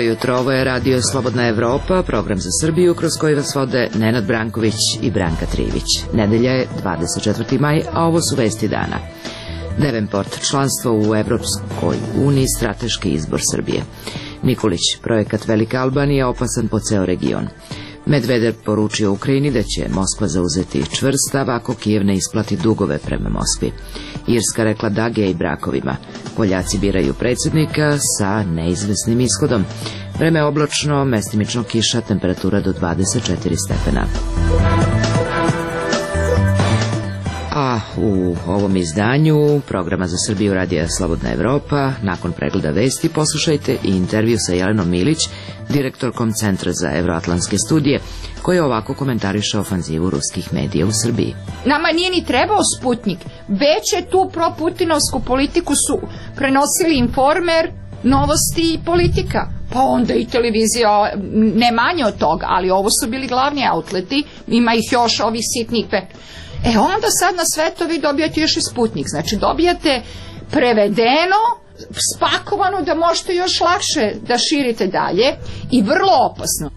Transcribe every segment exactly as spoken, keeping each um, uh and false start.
jutro, ovo je Radio Slobodna Evropa, program za Srbiju kroz koji vas vode Nenad Branković i Branka Trivić. Nedelja je dvadeset četvrti maj, a ovo su vesti dana. Devenport, članstvo u Evropskoj uniji, strateški izbor Srbije. Nikolić, projekat Velika Albanija opasan po ceo region. Medvedev poručio Ukrajini da će Moskva zauzeti čvrst stav ako Kijev ne isplati dugove prema Moskvi. Irska rekla da gej brakovima. Poljaci biraju predsjednika sa neizvesnim ishodom. Vreme oblačno, mestimično kiša, temperatura do dvadeset četiri stepena. A u ovom izdanju programa za Srbiju Radija Slobodna Evropa, nakon pregleda vesti, poslušajte i intervju sa Jelenom Milić, direktorkom Centra za evroatlantske studije, koji je ovako komentariše ofanzivu ruskih medija u Srbiji. Nama nije ni trebao Sputnik, već je tu proputinovsku politiku su prenosili Informer, Novosti i Politika. Pa onda i televizija, ne manje od toga, ali ovo su bili glavni outleti, ima ih još ovih sitnih pet. E onda sad na sve to vi dobijate još i Sputnik, znači dobijate prevedeno, spakovano da možete još lakše da širite dalje i vrlo opasno.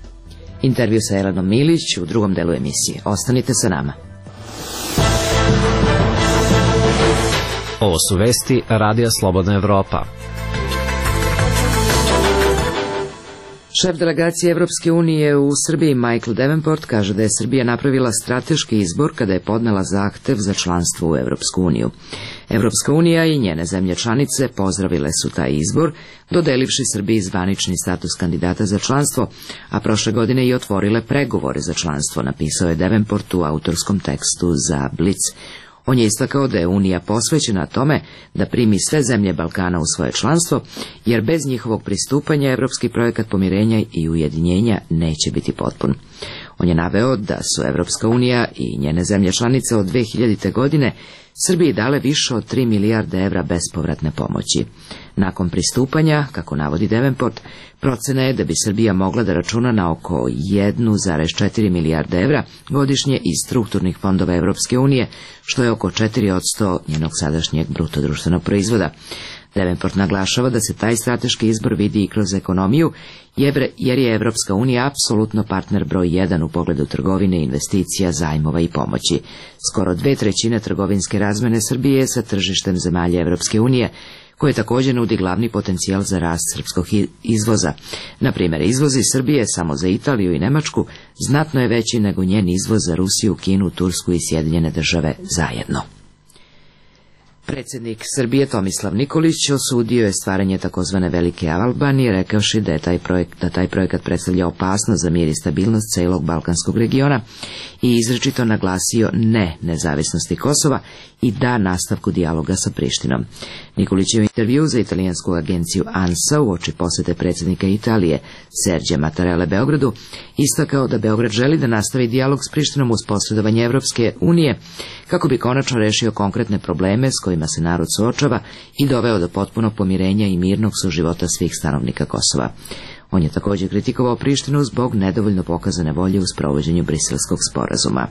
Intervju sa Jelenom Milić u drugom delu emisije. Ostanite sa nama. Ovo su vesti Radija Slobodna Evropa. Šef delegacije Evropske unije u Srbiji Michael Davenport kaže da je Srbija napravila strateški izbor kada je podnela zahtev za članstvo u Evropsku uniju. Evropska unija i njene zemlje članice pozdravile su taj izbor, dodelivši Srbiji zvanični status kandidata za članstvo, a prošle godine i otvorile pregovore za članstvo, napisao je Davenport u autorskom tekstu za Blic. On je istakao da je Unija posvećena tome da primi sve zemlje Balkana u svoje članstvo, jer bez njihovog pristupanja evropski projekat pomirenja i ujedinjenja neće biti potpun. On je naveo da su Evropska unija i njene zemlje članice od dve hiljadite. godine Srbiji dale više od tri milijarde evra bespovratne pomoći. Nakon pristupanja, kako navodi Davenport, procena je da bi Srbija mogla da računa na oko jedan zarez četiri milijarde evra godišnje iz strukturnih fondova Evropske unije, što je oko četiri posto njenog sadašnjeg bruto društvenog proizvoda. Davenport naglašava da se taj strateški izbor vidi i kroz ekonomiju, jer je Evropska unija apsolutno partner broj jedan u pogledu trgovine, investicija, zajmova i pomoći. Skoro dve trećine trgovinske razmene Srbije sa tržištem zemalja Evropske unije, koje također nudi glavni potencijal za rast srpskog izvoza. Na primjer, izvoz iz Srbije samo za Italiju i Nemačku znatno je veći nego njen izvoz za Rusiju, Kinu, Tursku i Sjedinjene države zajedno. Predsjednik Srbije Tomislav Nikolić osudio je stvaranje takozvane Velike Albanije, rekavši da je taj projekt, da taj projekat predstavlja opasnost za mir i stabilnost celog balkanskog regiona i izričito naglasio ne nezavisnosti Kosova i da nastavku dijaloga sa Prištinom. Nikolić je u intervju za italijansku agenciju ANSA uoči posete predsjednika Italije Serđa Mattarelle Beogradu istakao da Beograd želi da nastavi dijalog s Prištinom uz posredovanje Evropske unije kako bi konačno rešio konkretne probleme s kojima se narod suočava i doveo do potpunog pomirenja i mirnog suživota svih stanovnika Kosova. On je također kritikovao Prištinu zbog nedovoljno pokazane volje u sprovođenju Briselskog sporazuma.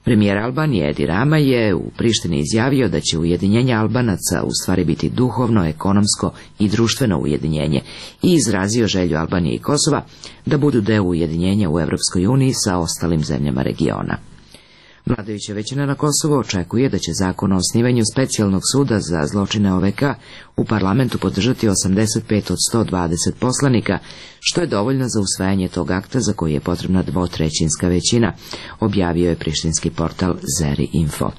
Premijer Albanije Edi Rama je u Prištini izjavio da će ujedinjenje Albanaca u stvari biti duhovno, ekonomsko i društveno ujedinjenje i izrazio želju Albanije i Kosova da budu deo ujedinjenja u Evropskoj uniji sa ostalim zemljama regiona. Vladajuća većina na Kosovu očekuje da će zakon o osnivanju specijalnog suda za zločine O V K u parlamentu podržati osamdeset pet od sto dvadeset poslanika, što je dovoljno za usvajanje tog akta za koji je potrebna dvotrećinska većina, objavio je prištinski portal Zeri Info.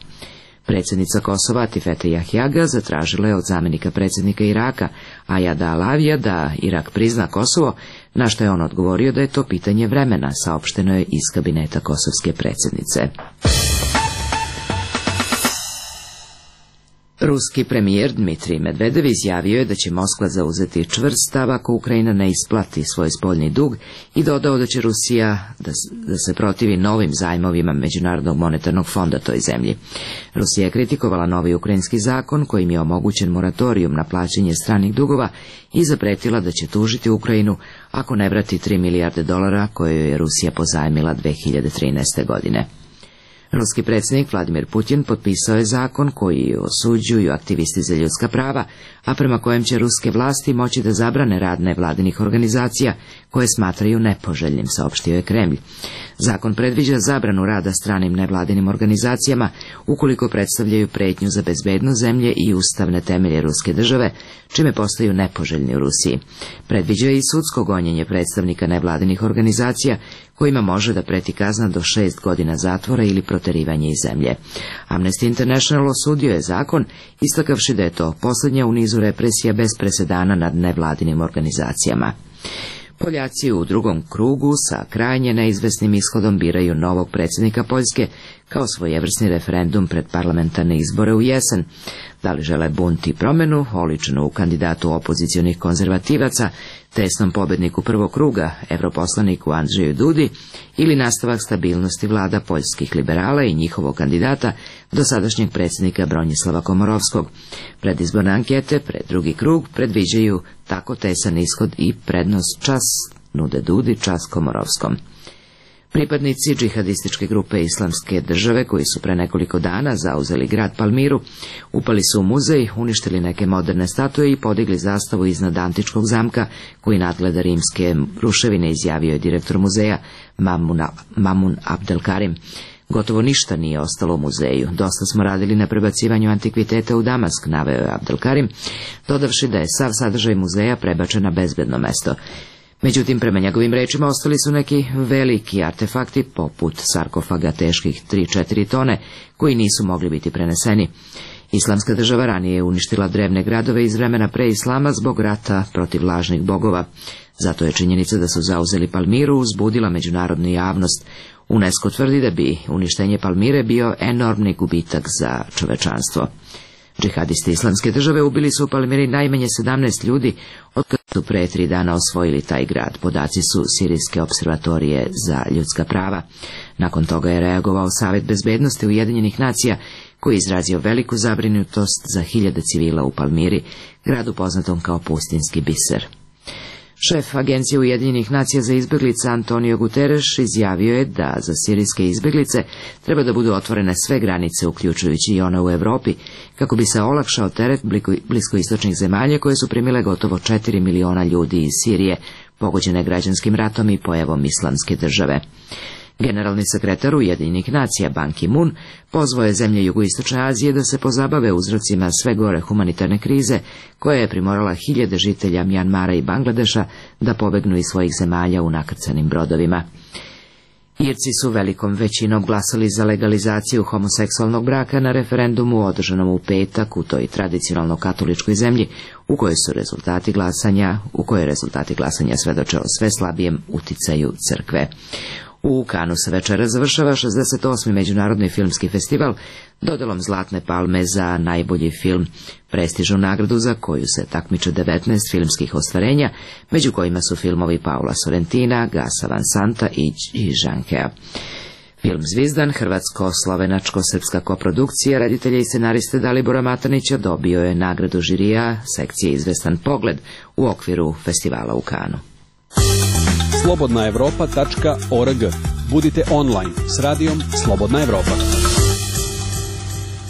Predsjednica Kosova Atifete Jahjaga zatražila je od zamjenika predsjednika Iraka Ajada Alavija da Irak prizna Kosovo, na što je on odgovorio da je to pitanje vremena, saopšteno je iz kabineta kosovske predsjednice. Ruski premijer Dmitrij Medvedev izjavio je da će Moskva zauzeti čvrst stav ako Ukrajina ne isplati svoj spoljni dug i dodao da će Rusija da, da se protivi novim zajmovima Međunarodnog monetarnog fonda toj zemlji. Rusija je kritikovala novi ukrajinski zakon kojim je omogućen moratorijum na plaćanje stranih dugova i zapretila da će tužiti Ukrajinu ako ne vrati tri milijarde dolara koje je Rusija pozajmila dve hiljade trinaeste. godine. Ruski predsjednik Vladimir Putin potpisao je zakon koji osuđuju aktivisti za ljudska prava, a prema kojem će ruske vlasti moći da zabrane rad nevladinih organizacija koje smatraju nepoželjnim, saopštio je Kremlj. Zakon predviđa zabranu rada stranim nevladinim organizacijama ukoliko predstavljaju pretnju za bezbednost zemlje i ustavne temelje ruske države, čime postaju nepoželjni u Rusiji. Predviđa i sudsko gonjenje predstavnika nevladinih organizacija kojima može da preti kazna do šest godina zatvora ili proterivanje iz zemlje. Amnesty International osudio je zakon, istakavši da je to posljednja u nizu represija bez presedana nad nevladinim organizacijama. Poljaci u drugom krugu sa krajnje neizvesnim ishodom biraju novog predsjednika Poljske kao svojevrsni referendum pred parlamentarne izbore u jesen. Da li žele bunt i promjenu, oličenu u kandidatu opozicionih konzervativaca, tesnom pobjedniku prvog kruga, europoslaniku Andrzeju Dudi, ili nastavak stabilnosti vlada poljskih liberala i njihovog kandidata, dosadašnjeg predsjednika Bronislava Komorovskog. Predizborne ankete pred drugi krug predviđaju tako tesan ishod i prednost čas nude Dudi, čas Komorovskom. Pripadnici džihadističke grupe Islamske države, koji su pre nekoliko dana zauzeli grad Palmiru, upali su u muzej, uništili neke moderne statue i podigli zastavu iznad antičkog zamka koji nadgleda rimske ruševine, izjavio je direktor muzeja Mamun, Mamun Abdelkarim. Gotovo ništa nije ostalo u muzeju. Dosta smo radili na prebacivanju antikviteta u Damask, naveo je Abdelkarim, dodavši da je sav sadržaj muzeja prebačen na bezbedno mesto. Međutim, prema njegovim rečima ostali su neki veliki artefakti, poput sarkofaga teških tri do četiri tone, koji nisu mogli biti preneseni. Islamska država ranije je uništila drevne gradove iz vremena pre islama zbog rata protiv lažnih bogova. Zato je činjenica da su zauzeli Palmiru uzbudila međunarodnu javnost. UNESCO tvrdi da bi uništenje Palmire bio enormni gubitak za čovečanstvo. Džihadisti Islamske države ubili su u Palmiri najmanje sedamnaest ljudi, od kada su pre tri dana osvojili taj grad. Podaci su Sirijske observatorije za ljudska prava. Nakon toga je reagovao Savet bezbednosti Ujedinjenih nacija, koji je izrazio veliku zabrinutost za hiljade civila u Palmiri, gradu poznatom kao pustinski biser. Šef Agencije Ujedinjenih nacija za izbjeglice Antonio Guterres izjavio je da za sirijske izbjeglice treba da budu otvorene sve granice, uključujući i one u Europi, kako bi se olakšao teret bliskoistočnih zemalja koje su primile gotovo četiri miliona ljudi iz Sirije, pogođene građanskim ratom i pojavom Islamske države. Generalni sekretar Ujedinjenih nacija Ban Ki-moon pozvao je zemlje jugoistočne Azije da se pozabave uzrocima sve gore humanitarne krize, koja je primorala hiljade žitelja Mjanmara i Bangladeša da pobegnu iz svojih zemalja u nakrcanim brodovima. Irci su velikom većinom glasali za legalizaciju homoseksualnog braka na referendumu održanom u petak u toj tradicionalno katoličkoj zemlji, u kojoj su rezultati glasanja, u kojoj rezultati glasanja svedoče o sve slabijem uticaju crkve. U Kanu se večera završava šezdeset osmi Međunarodni filmski festival dodjelom Zlatne palme za najbolji film, prestižnu nagradu za koju se takmiče devetnaest filmskih ostvarenja, među kojima su filmovi Paula Sorrentina, Gasa Van Santa i Žankea. Film Zvizdan, hrvatsko-slovenačko-srpska koprodukcija reditelja i scenariste Dalibora Matanića, dobio je nagradu žirija sekcije Izvestan pogled u okviru festivala u Kanu. slobodna evropa tačka org. Budite online s radijom Slobodna Evropa.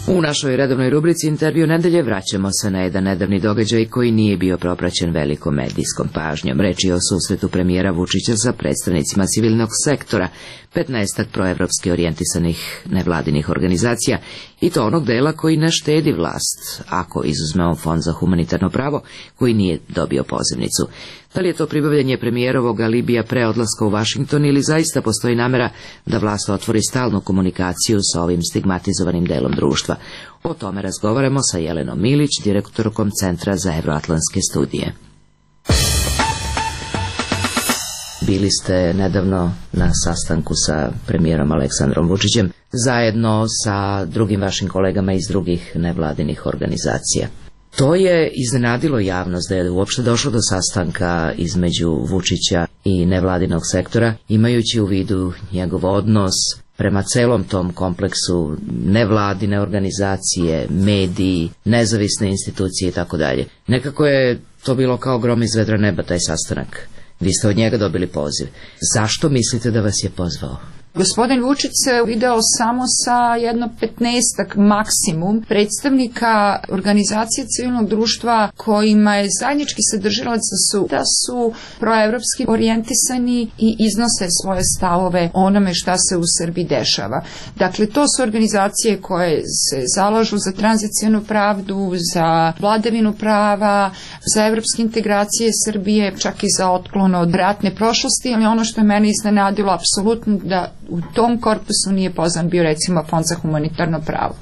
U našoj redovnoj rubrici Intervju nedelje vraćamo se na jedan nedavni događaj koji nije bio propraćen velikom medijskom pažnjom. Reč je o susretu premijera Vučića sa predstavnicima civilnog sektora, petnaestak proevropski orijentisanih nevladinih organizacija, i to onog dela koji ne štedi vlast, ako izuzmemo Fond za humanitarno pravo, koji nije dobio pozivnicu. Da li je to pribavljanje premijerovog alibija pre odlaska u Vašington ili zaista postoji namera da vlast otvori stalnu komunikaciju sa ovim stigmatizovanim delom društva? O tome razgovaramo sa Jelenom Milić, direktorkom Centra za evroatlantske studije. Bili ste nedavno na sastanku sa premijerom Aleksandrom Vučićem, zajedno sa drugim vašim kolegama iz drugih nevladinih organizacija. To je iznenadilo javnost da je uopšte došlo do sastanka između Vučića i nevladinog sektora, imajući u vidu njegov odnos prema celom tom kompleksu nevladine organizacije, mediji, nezavisne institucije i tako dalje. Nekako je to bilo kao grom iz vedra neba, taj sastanak. Vi ste od njega dobili poziv. Zašto mislite da vas je pozvao? Gospodin Vučić se video samo sa jedno petnaestak maksimum predstavnika organizacije civilnog društva kojima je zajednički sadržalac da su, da su proevropski orijentisani i iznose svoje stavove onome šta se u Srbiji dešava. Dakle, to su organizacije koje se zalažu za tranzicijnu pravdu, za vladavinu prava, za evropske integracije Srbije, čak i za otklon od ratne prošlosti, ali ono što je mene iznenadilo apsolutno da u tom korpusu nije pozvan bio recimo Fond za humanitarno pravo.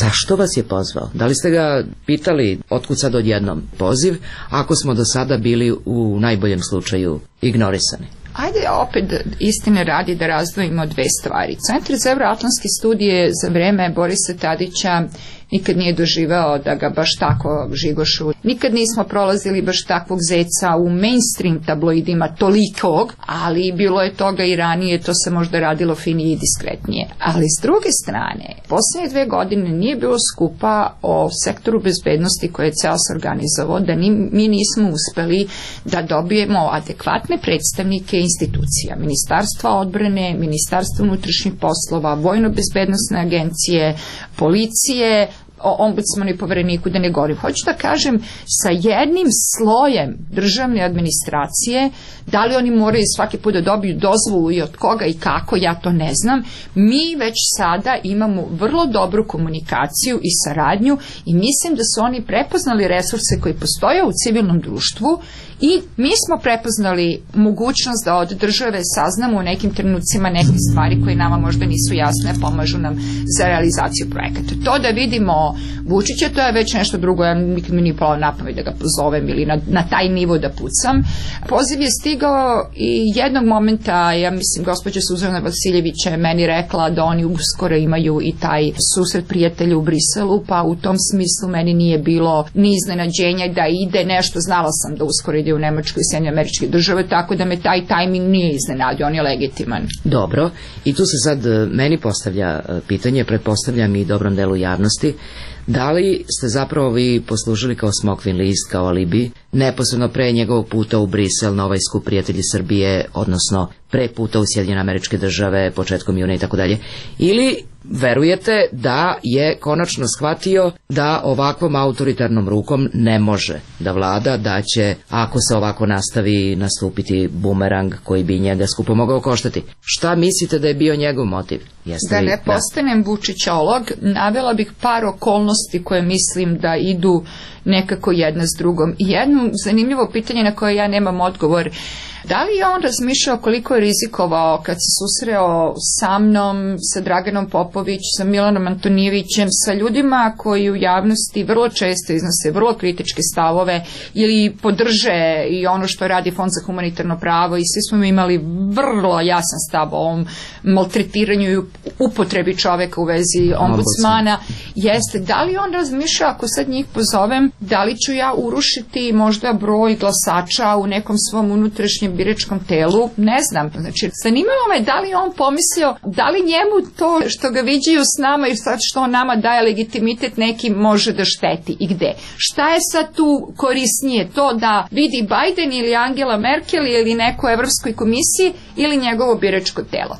Zašto vas je pozvao? Da li ste ga pitali otkud sad odjednom poziv, ako smo do sada bili u najboljem slučaju ignorisani? Ajde opet istine radi da razdvojimo dve stvari. Centar za evroatlantske studije za vreme Borisa Tadića nikad nije doživao da ga baš tako žigošu. Nikad nismo prolazili baš takvog zeca u mainstream tabloidima tolikog, ali bilo je toga i ranije, to se možda radilo finije i diskretnije. Ali s druge strane, posljednje dve godine nije bilo skupa o sektoru bezbednosti koje je ceo se organizovao, da ni, mi nismo uspeli da dobijemo adekvatne predstavnike institucija. Ministarstva odbrane, Ministarstva unutrašnjih poslova, Vojno-bezbednosne agencije, policije, o ombudsmanu i povereniku da ne govorim. Hoću da kažem, sa jednim slojem državne administracije, da li oni moraju svaki put da dobiju dozvolu i od koga i kako, ja to ne znam, mi već sada imamo vrlo dobru komunikaciju i saradnju i mislim da su oni prepoznali resurse koji postoje u civilnom društvu i mi smo prepoznali mogućnost da od države saznamo u nekim trenucima neke stvari koje nama možda nisu jasne, pomažu nam za realizaciju projekata. To da vidimo Vučića, to je već nešto drugo, ja nikad mi nije palo na pamet da ga pozovem ili na, na taj nivo da pucam. Poziv je stigao i jednog momenta, ja mislim, gospođa Suzana Vasiljević je meni rekla da oni uskoro imaju i taj susret prijatelja u Briselu, pa u tom smislu meni nije bilo ni iznenađenja da ide nešto, znala sam da uskoro ide u Nemačkoj i Sjedinjene Američke Države, tako da me taj tajming nije iznenadio, on je legitiman. Dobro, i tu se sad meni postavlja pitanje, pretpostavljam i dobrom delu javnosti, da li ste zapravo vi poslužili kao smokvin list, kao alibi, neposredno pre njegovog puta u Brisel na ovaj skup Prijatelji Srbije, odnosno pre puta u Sjedinjene Američke Države, početkom juna i tako dalje, ili verujete da je konačno shvatio da ovakvom autoritarnom rukom ne može da vlada, da će, ako se ovako nastavi, nastupiti bumerang koji bi njega skupo mogao koštati? Šta mislite da je bio njegov motiv? Jeste da li, ne postanem Vučićolog, navela bih par okolnosti koje mislim da idu nekako jedna s drugom. I jedno zanimljivo pitanje na koje ja nemam odgovor. Da li je on razmišljao koliko je rizikovao kad se susreo sa mnom, sa Draganom Popović, sa Milanom Antonijevićem, sa ljudima koji u javnosti vrlo često iznose vrlo kritičke stavove ili podrže i ono što radi Fond za humanitarno pravo i svi smo imali vrlo jasan stav o ovom maltretiranju i upotrebi čoveka u vezi ombudsmana. Jeste, da li on razmišljao ako sad njih pozovem, da li ću ja urušiti možda broj glasača u nekom svom unutrašnjem biračkom telu, ne znam. Znači, zanimalo me da li on pomislio, da li njemu to što ga viđaju s nama i sad što on nama daje legitimitet neki može da šteti i gde. Šta je sad tu korisnije? To da vidi Biden ili Angela Merkel ili neko u Evropskoj komisiji ili njegovo biračko telo.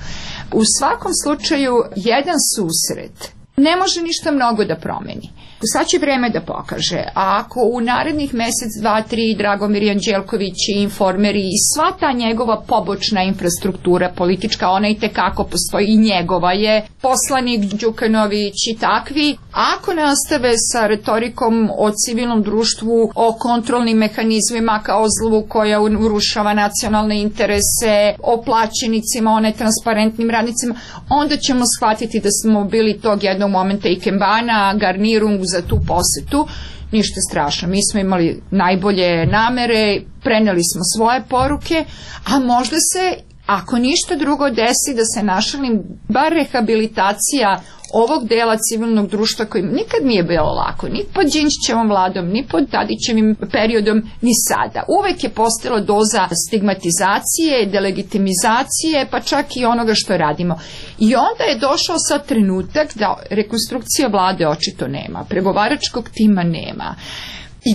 U svakom slučaju, jedan susret ne može ništa mnogo da promeni. Sad će vreme da pokaže. A ako u narednih mesec, dva, tri Dragomir Anđelković i Informeri i sva ta njegova pobočna infrastruktura politička, ona i tekako postoji i njegova je, poslanik Đukanović i takvi, ako nastave sa retorikom o civilnom društvu, o kontrolnim mehanizmima kao zlu koja urušava nacionalne interese, o plaćenicima, o netransparentnim radnicima, onda ćemo shvatiti da smo bili tog jednog momenta i kembana, garnirung za tu posetu. Ništa strašno, mi smo imali najbolje namere, preneli smo svoje poruke, a možda se, ako ništa drugo desi, da se našalim, bar rehabilitacija ovog dela civilnog društva koji nikad nije bilo lako, ni pod Đinđićevom vladom, ni pod Tadićevim periodom, ni sada. Uvek je postala doza stigmatizacije, delegitimizacije, pa čak i onoga što radimo. I onda je došao sad trenutak da rekonstrukcija vlade očito nema, pregovaračkog tima nema.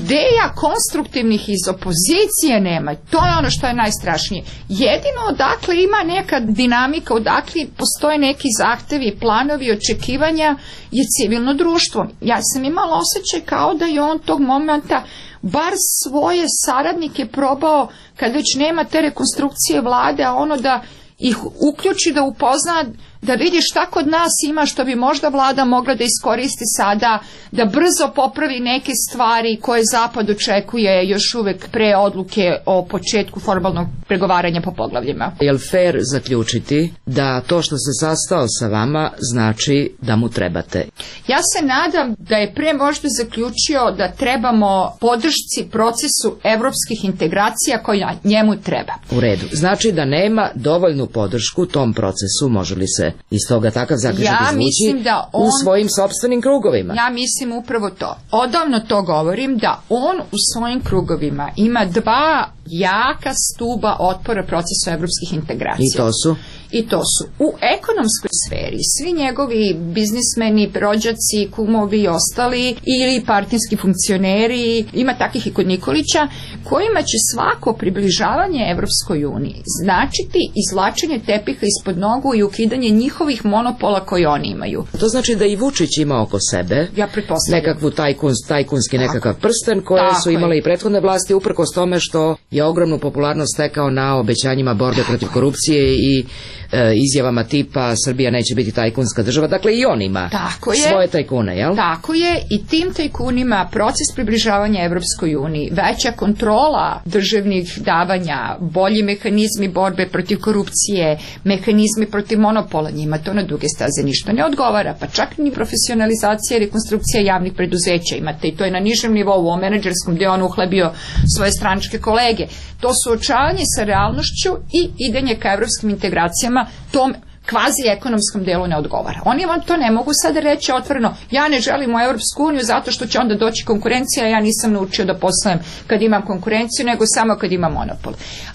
ideja konstruktivnih iz opozicije nema. To je ono što je najstrašnije. Jedino odakle ima neka dinamika, odakle postoje neki zahtevi, planovi, očekivanja je civilno društvo. Ja sam imala osjećaj kao da je on tog momenta bar svoje saradnike probao, kad već nema te rekonstrukcije vlade, a ono da ih uključi, da upozna, da vidi šta kod nas ima što bi možda vlada mogla da iskoristi sada, da brzo popravi neke stvari koje Zapad očekuje još uvek pre odluke o početku formalnog pregovaranja po poglavljima. Je li fair zaključiti da to što se sastao sa vama znači da mu trebate? Ja se nadam da je pre možda zaključio da trebamo podršci procesu evropskih integracija koja njemu treba. U redu. Znači da nema dovoljnu podršku tom procesu, može li se iz toga takav zaključak ja izvući on, u svojim sopstvenim krugovima? Ja mislim upravo to. Odavno to govorim, da on u svojim krugovima ima dva jaka stuba otpora procesu evropskih integracija. I to su? I to su u ekonomskoj sferi svi njegovi biznismeni, rođaci, kumovi i ostali, ili partijski funkcioneri, ima takih i kod Nikolića, kojima će svako približavanje Evropskoj uniji značiti izvlačenje tepiha ispod nogu i ukidanje njihovih monopola koje oni imaju. To znači da i Vučić ima oko sebe ja nekakvu tajkun, tajkunski nekakav prsten koje Tako su imale je. i prethodne vlasti, uprkos tome što je ogromnu popularnost stekao na obećanjima borbe protiv korupcije i e, izjavama tipa Srbija neće biti tajkunska država. Dakle, i on ima Tako svoje je. tajkune, jel? Tako je, i tim tajkunima proces približavanja Evropskoj uniji, veća kontrola državnih davanja, bolji mehanizmi borbe protiv korupcije, mehanizmi protiv monopola, njima to na duge staze ništa ne odgovara, pa čak ni profesionalizacija i rekonstrukcija javnih preduzeća imate, i to je na nižem nivou, u menadžerskom gdje on uhlebio svoje stranačke kolege. To suočavanje sa realnošću i idenje ka evropskim integracijama tom kvazi ekonomskom delu ne odgovara. Oni vam to ne mogu sada reći otvoreno, ja ne želim u Europsku uniju zato što će onda doći konkurencija, ja nisam naučio da poslujem kad imam konkurenciju, nego samo kad imam monopol.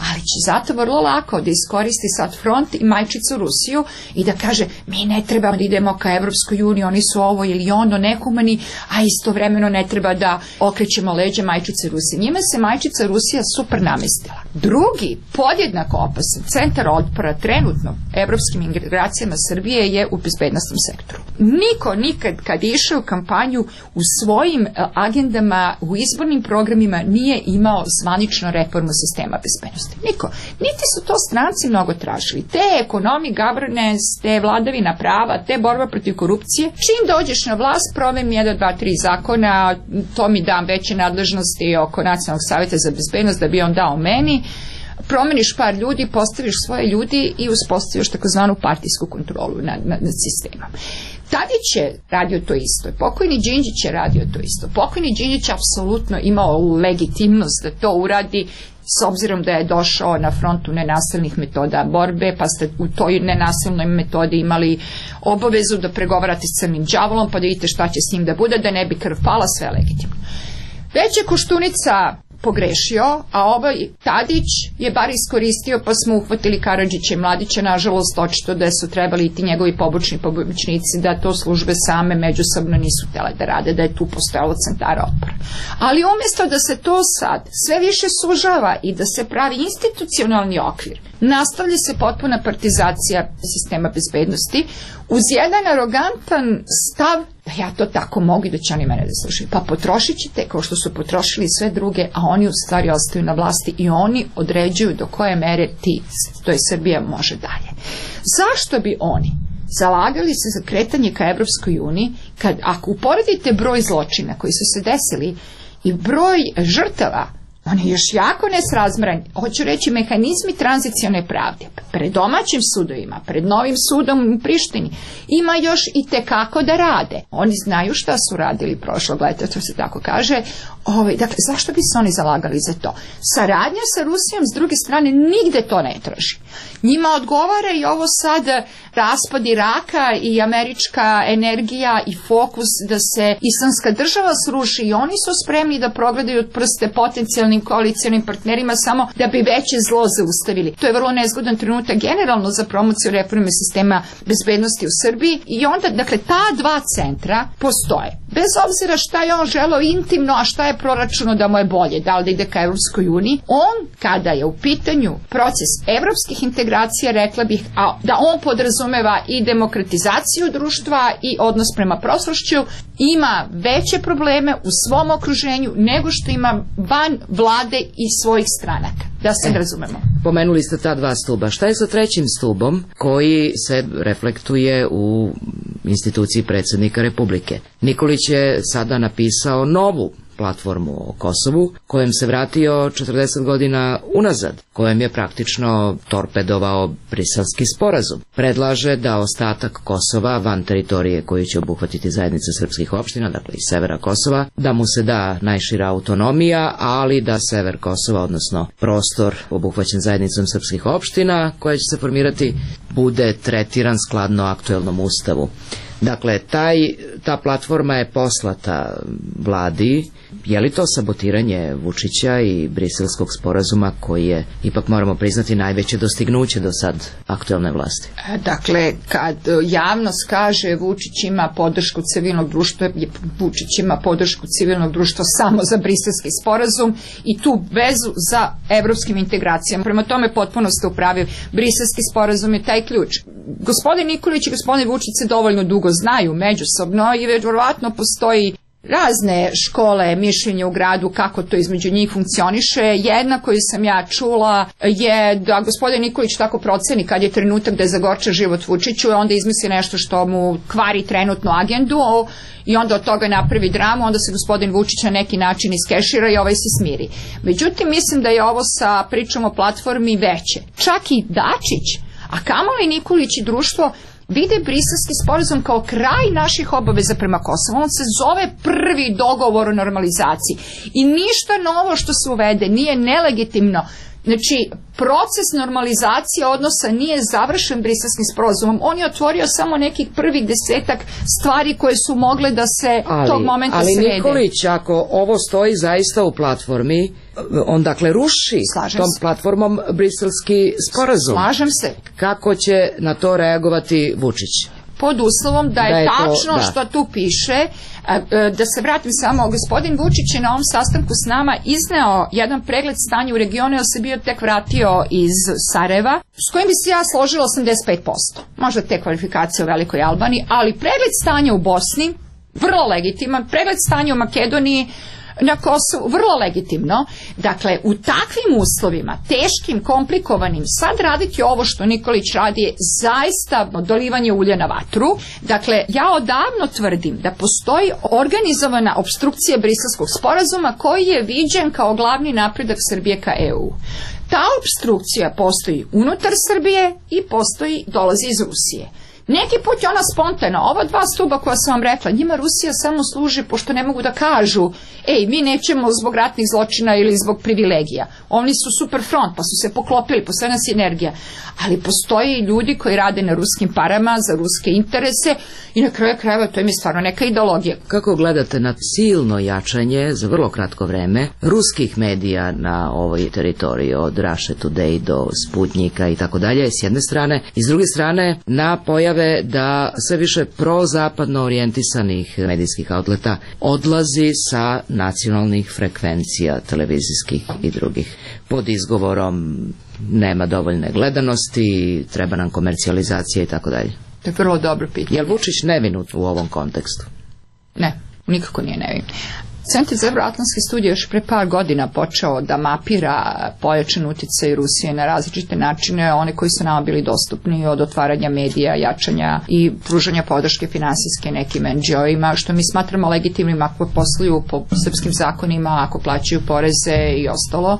Ali će zato vrlo lako da iskoristi sad front i majčicu Rusiju i da kaže, mi ne treba da idemo ka Europskoj uniji, oni su ovo ili ono nehumani, a istovremeno ne treba da okrećemo leđe majčice Rusije. Njima se majčica Rusija super namestila. Drugi, podjednako opasan centar otpora trenutno evropskim integracijama Srbije je u bezbednostnom sektoru. Niko nikad kad je išao u kampanju u svojim agendama, u izbornim programima nije imao zvanično reformu sistema bezbednosti. Niko. Niti su to stranci mnogo tražili. Te ekonomi, governance, te vladavina prava, te borba protiv korupcije. Čim dođeš na vlast, provem jedan, dva, tri zakona, to mi dam veće nadležnosti oko Nacionalnog savjeta za bezbednost da bi on dao meni. Promeniš par ljudi, postaviš svoje ljudi i uspostaviš takozvanu partijsku kontrolu nad, nad, nad sistemom. Tadić je radio to isto, pokojni Đinđić je radio to isto. Pokojni Đinđić apsolutno imao legitimnost da to uradi, s obzirom da je došao na frontu nenasilnih metoda borbe, pa ste u toj nenasilnoj metodi imali obavezu da pregovarate s crnim đavolom, pa da vidite šta će s njim da bude, da ne bi krv pala, sve legitimno. Već je Koštunica pogrešio, a ovaj Tadić je bar iskoristio, pa smo uhvatili Karadžića i Mladića, nažalost očito da su trebali i ti njegovi pobočni pomoćnici da to službe same međusobno nisu htjele da rade, da je tu postojalo centara otpora. Ali umjesto da se to sad sve više sužava i da se pravi institucionalni okvir, nastavlja se potpuna partizacija sistema bezbednosti uz jedan arogantan stav da ja to tako mogu i da će oni mene da slušaju. Pa potrošit ćete kao što su potrošili sve druge, a oni u stvari ostaju na vlasti i oni određuju do koje mere ti, to je Srbija, može dalje. Zašto bi oni zalagali se za kretanje ka Evropskoj uniji kad, ako uporedite broj zločina koji su se desili i broj žrtava, on je još jako nesrazmjeran. Hoću reći, mehanizmi tranzicione pravde pred domaćim sudovima, pred novim sudom u Prištini ima još i tekako da rade. Oni znaju šta su radili prošlog leta, to se tako kaže. Ove, dakle, zašto bi se oni zalagali za to? Saradnja sa Rusijom s druge strane nigde to ne traži. Njima odgovara i ovo sad raspad Iraka i američka energija i fokus da se islamska država sruši i oni su spremni da progledaju od prste potencijalni potencijalnim koalicijalnim partnerima samo da bi veće zlo zaustavili. To je vrlo nezgodan trenutak generalno za promociju reforme sistema bezbednosti u Srbiji i onda, dakle, ta dva centra postoje. Bez obzira šta je on želeo intimno, a šta je proračuno da mu je bolje, da li da ide ka Evropskoj uniji, on, kada je u pitanju proces evropskih integracija, rekla bih, a da on podrazumeva i demokratizaciju društva i odnos prema prošlošću, ima veće probleme u svom okruženju nego što ima van vlade i svojih stranaka. Da se e, razumemo. Pomenuli ste ta dva stuba. Šta je sa trećim stubom koji se reflektuje u instituciji predsjednika Republike? Nikolić je sada napisao novu platformu o Kosovu, kojem se vratio četrdeset godina unazad, kojem je praktično torpedovao Briselski sporazum. Predlaže da ostatak Kosova van teritorije koju će obuhvatiti zajednica srpskih opština, dakle i severa Kosova, da mu se da najšira autonomija, ali da sever Kosova, odnosno prostor obuhvaćen zajednicom srpskih opština, koja će se formirati, bude tretiran skladno aktuelnom ustavu. Dakle, taj, ta platforma je poslata vladi. Je li to sabotiranje Vučića i Briselskog sporazuma koji je, ipak moramo priznati, najveće dostignuće do sad aktuelne vlasti? Dakle, kad javnost kaže Vučić ima podršku civilnog društva, Vučić ima podršku civilnog društva samo za Briselski sporazum i tu vezu za evropskim integracijama. Prema tome potpuno ste u pravi. Briselski sporazum je taj ključ. Gospodin Nikolić i gospodin Vučić se dovoljno dugo znaju međusobno i verovatno postoji razne škole mišljenja u gradu kako to između njih funkcioniše. Jedna koju sam ja čula je da gospodin Nikolić tako proceni kad je trenutak da je zagorča život Vučiću, onda izmisli nešto što mu kvari trenutnu agendu i onda od toga napravi dramu, onda se gospodin Vučić na neki način iskešira i ovaj se smiri. Međutim, mislim da je ovo sa pričom o platformi veće. Čak i Dačić, a kamoli Nikolić i društvo, vide Briselski sporazum kao kraj naših obaveza prema Kosovu. On se zove prvi dogovor o normalizaciji. I ništa novo što se uvede nije nelegitimno. Znači, proces normalizacije odnosa nije završen Briselskim sporazumom. On je otvorio samo nekih prvih desetak stvari koje su mogle da se ali, tog momenta ali srede. Ali Nikolić, ako ovo stoji zaista u platformi, on dakle ruši Slažem tom se. platformom Briselski sporazum. Slažem se. Kako će na to reagovati Vučić? Pod uslovom da je, da je tačno to, da. Što tu piše. Da se vratim samo, gospodin Vučić je na ovom sastanku s nama izneo jedan pregled stanja u regionu, jer se bio tek vratio iz Sarajeva, s kojim bi se ja složila osamdeset pet posto. Možda te kvalifikacije u Velikoj Albaniji, ali pregled stanja u Bosni, vrlo legitiman, pregled stanja u Makedoniji, na Kosovu, vrlo legitimno. Dakle, u takvim uslovima, teškim, komplikovanim, sad raditi ovo što Nikolić radi je zaista dolivanje ulja na vatru. Dakle, ja odavno tvrdim da postoji organizovana opstrukcija Briselskog sporazuma koji je viđen kao glavni napredak Srbije ka E U. Ta opstrukcija postoji unutar Srbije i postoji, dolazi iz Rusije. Neki put je ona spontana. Ova dva stuba koja sam vam rekla, njima Rusija samo služi pošto ne mogu da kažu ej, mi nećemo zbog ratnih zločina ili zbog privilegija. Oni su super front, pa su se poklopili, postoje nas energija. Ali postoji ljudi koji rade na ruskim parama, za ruske interese i na kraju krajeva to im je stvarno neka ideologija. Kako gledate na silno jačanje za vrlo kratko vreme ruskih medija na ovoj teritoriji, od Russia Today do Sputnika i tako dalje, s jedne strane, i s druge strane na pojave da sve više prozapadno orijentisanih medijskih outleta odlazi sa nacionalnih frekvencija televizijskih i drugih pod izgovorom nema dovoljne gledanosti, treba nam komercijalizacija i tako dalje? To je vrlo dobro pitanje. Je li Vučić nevinut u ovom kontekstu? Ne, nikako nije nevin. Centar za evroatlantske studije još pre par godina počeo da mapira pojačan uticaj Rusije na različite načine, one koji su nama bili dostupni, od otvaranja medija, jačanja i pružanja podrške finansijske nekim en dži o-ima, što mi smatramo legitimnim ako posluju po srpskim zakonima, ako plaćaju poreze i ostalo.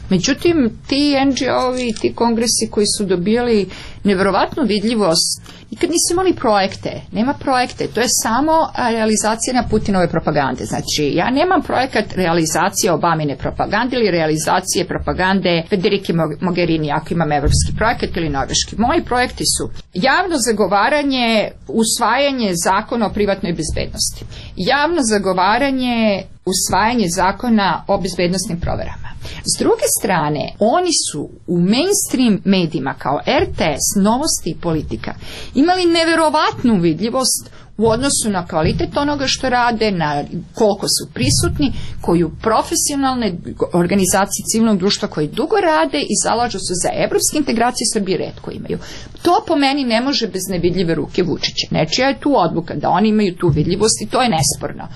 Međutim, ti en dži o-vi, ti kongresi koji su dobili neverovatnu vidljivost, nikad nisu imali projekte, nema projekte, to je samo realizacija na Putinove propagande. Znači, ja nemam projekat realizacije Obamine propagande ili realizacije propagande Federike Mogherini, ako imam evropski projekat ili norveški. Moji projekti su javno zagovaranje, usvajanje zakona o privatnoj bezbednosti, javno zagovaranje, usvajanje zakona o bezbednostnim proverama, S druge strane, oni su u mainstream medijima kao er te es, Novosti i Politika imali neverovatnu vidljivost u odnosu na kvalitet onoga što rade, na koliko su prisutni, koju profesionalne organizacije civilnog društva koji dugo rade i zalažu se za evropske integracije Srbije retko imaju. To po meni ne može bez nevidljive ruke Vučića. Nečija je tu odluka da oni imaju tu vidljivost i to je nesporno.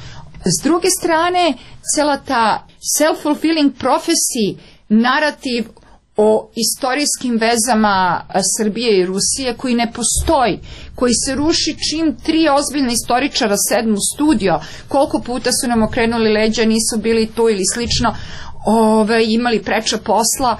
S druge strane, cela ta self-fulfilling prophecy, narativ o istorijskim vezama Srbije i Rusije koji ne postoji, koji se ruši čim tri ozbiljna istoričara sedmu u studio, koliko puta su nam okrenuli leđa, nisu bili tu ili slično, ove, imali preča posla,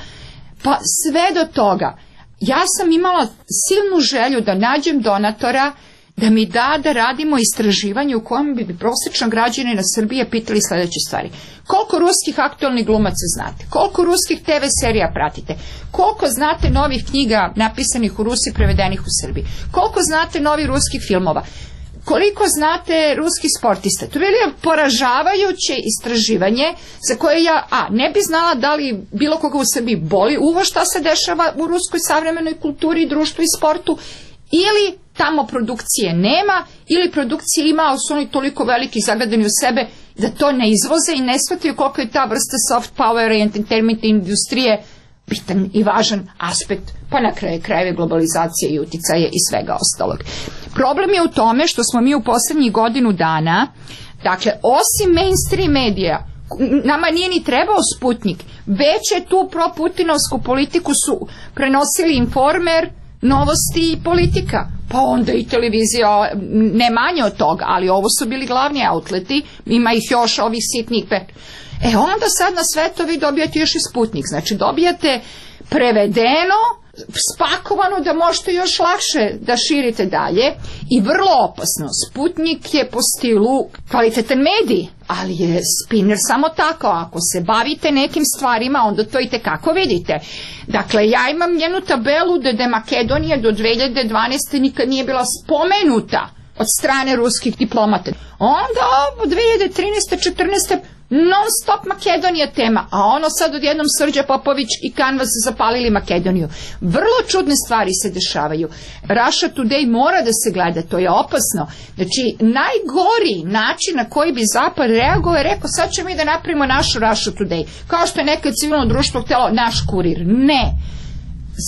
pa sve do toga. Ja sam imala silnu želju da nađem donatora da mi da da radimo istraživanje u kojem bi prosječan građanin na Srbije pitali sledeće stvari. Koliko ruskih aktualnih glumaca znate? Koliko ruskih te ve serija pratite? Koliko znate novih knjiga napisanih u Rusiji prevedenih u Srbiji? Koliko znate novih ruskih filmova? Koliko znate ruskih sportista? To je bilo poražavajuće istraživanje za koje ja a, ne bi znala da li bilo koga u Srbiji boli uvo šta se dešava u ruskoj savremenoj kulturi, društvu i sportu, ili tamo produkcije nema, ili produkcije ima, ali su oni toliko veliki zagadani u sebe da to ne izvoze i ne shvataju koliko je ta vrsta soft power i entertainment industrije bitan i važan aspekt, pa na kraju krajeve globalizacije i uticaje i svega ostalog. Problem je u tome što smo mi u poslednjih godinu dana, dakle, osim mainstream medija, nama nije ni trebao Sputnik, već je tu proputinovsku politiku su prenosili Informer, Novosti i Politika, pa onda i televizija, ne manje od toga, ali ovo su bili glavni outleti, ima ih još ovih sitnih pet. E onda sad na sve to vi dobijate još i Sputnik, znači dobijate prevedeno, spakovano da možete još lakše da širite dalje i vrlo opasno. Sputnik je po stilu kvalitetan medij, ali je spinner samo tako. Ako se bavite nekim stvarima, onda to i tekako vidite. Dakle, ja imam jednu tabelu da je Makedonija do dve hiljade dvanaeste nikad nije bila spomenuta od strane ruskih diplomata. Onda od dve hiljade trinaeste četrnaeste non stop Makedonija tema, a ono sad odjednom Srđa Popović i Kanvas zapalili Makedoniju. Vrlo čudne stvari se dešavaju. Russia Today mora da se gleda, to je opasno. Znači, najgori način na koji bi Zapad reagovao je rekao sad ćemo mi da napravimo našu Russia Today. Kao što je nekad civilno društvo htjelo naš kurir. Ne.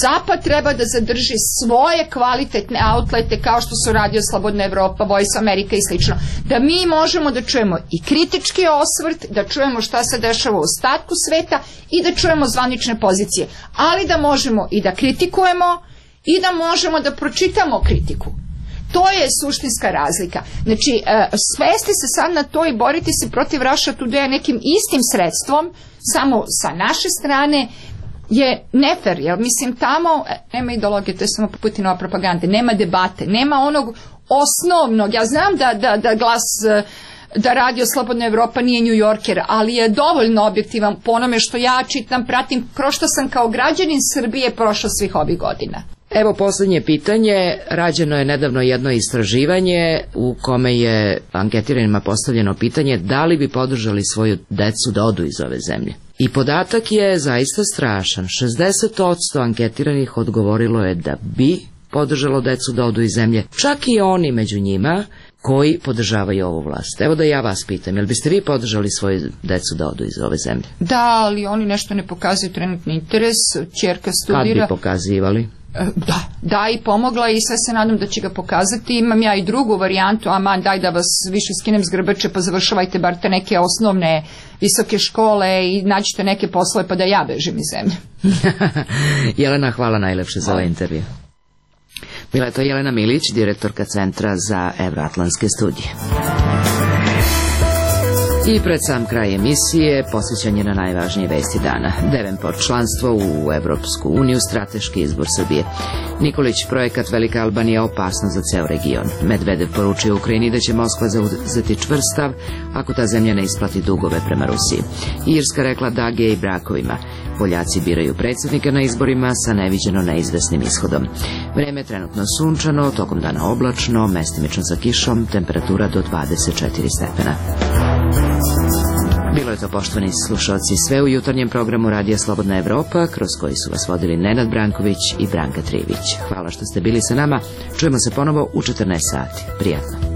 Zapad treba da zadrži svoje kvalitetne outlete kao što su Radio Slobodna Evropa, Voice America i slično. Da mi možemo da čujemo i kritički osvrt, da čujemo šta se dešava u ostatku sveta i da čujemo zvanične pozicije. Ali da možemo i da kritikujemo i da možemo da pročitamo kritiku. To je suštinska razlika. Znači, svesti se sad na to i boriti se protiv Russia Today nekim istim sredstvom, samo sa naše strane, je nefer, jer mislim tamo nema ideologije, to je samo Putinova propaganda, nema debate, nema onog osnovnog, ja znam da, da, da glas, da Radio Slobodna Evropa nije New Yorker, ali je dovoljno objektivan po onome što ja čitam, pratim, kroz što sam kao građanin Srbije prošao svih ovih godina. Evo posljednje pitanje, rađeno je nedavno jedno istraživanje u kome je anketiranima postavljeno pitanje da li bi podržali svoju decu da odu iz ove zemlje. I podatak je zaista strašan, šezdeset posto anketiranih odgovorilo je da bi podržalo decu da odu iz zemlje, čak i oni među njima koji podržavaju ovu vlast. Evo da ja vas pitam, jel biste vi podržali svoju decu da odu iz ove zemlje? Da, ali oni nešto ne pokazuju trenutni interes, ćerka studira. Kad bi pokazivali? Da, da i pomogla i sve se nadam da će ga pokazati. Imam ja i drugu varijantu, aman daj da vas više skinem s grbače pa završavajte bar te neke osnovne visoke škole i nađite neke poslove pa da ja bežim iz zemlje. Jelena, hvala najlepše za ovaj intervju. Bila je to Jelena Milić, direktorka Centra za evroatlantske studije. I pred sam kraj emisije posvećanje na najvažnije vesti dana. Devenport članstvo u Evropsku uniju, strateški izbor Srbije. Nikolić, projekat Velika Albanija opasno za ceo region. Medvedev poručio Ukrajini da će Moskva zauzeti čvrst stav ako ta zemlja ne isplati dugove prema Rusiji. Irska rekla da gej brakovima. Poljaci biraju predsjednika na izborima sa neviđeno neizvesnim ishodom. Vreme je trenutno sunčano, tokom dana oblačno, mestimično sa kišom, temperatura do dvadeset četiri stepena. Bilo je to, poštovani slušalci, sve u jutarnjem programu Radija Slobodna Evropa, kroz koji su vas vodili Nenad Branković i Branka Trivić. Hvala što ste bili sa nama. Čujemo se ponovo u četrnaest sati. Prijatno.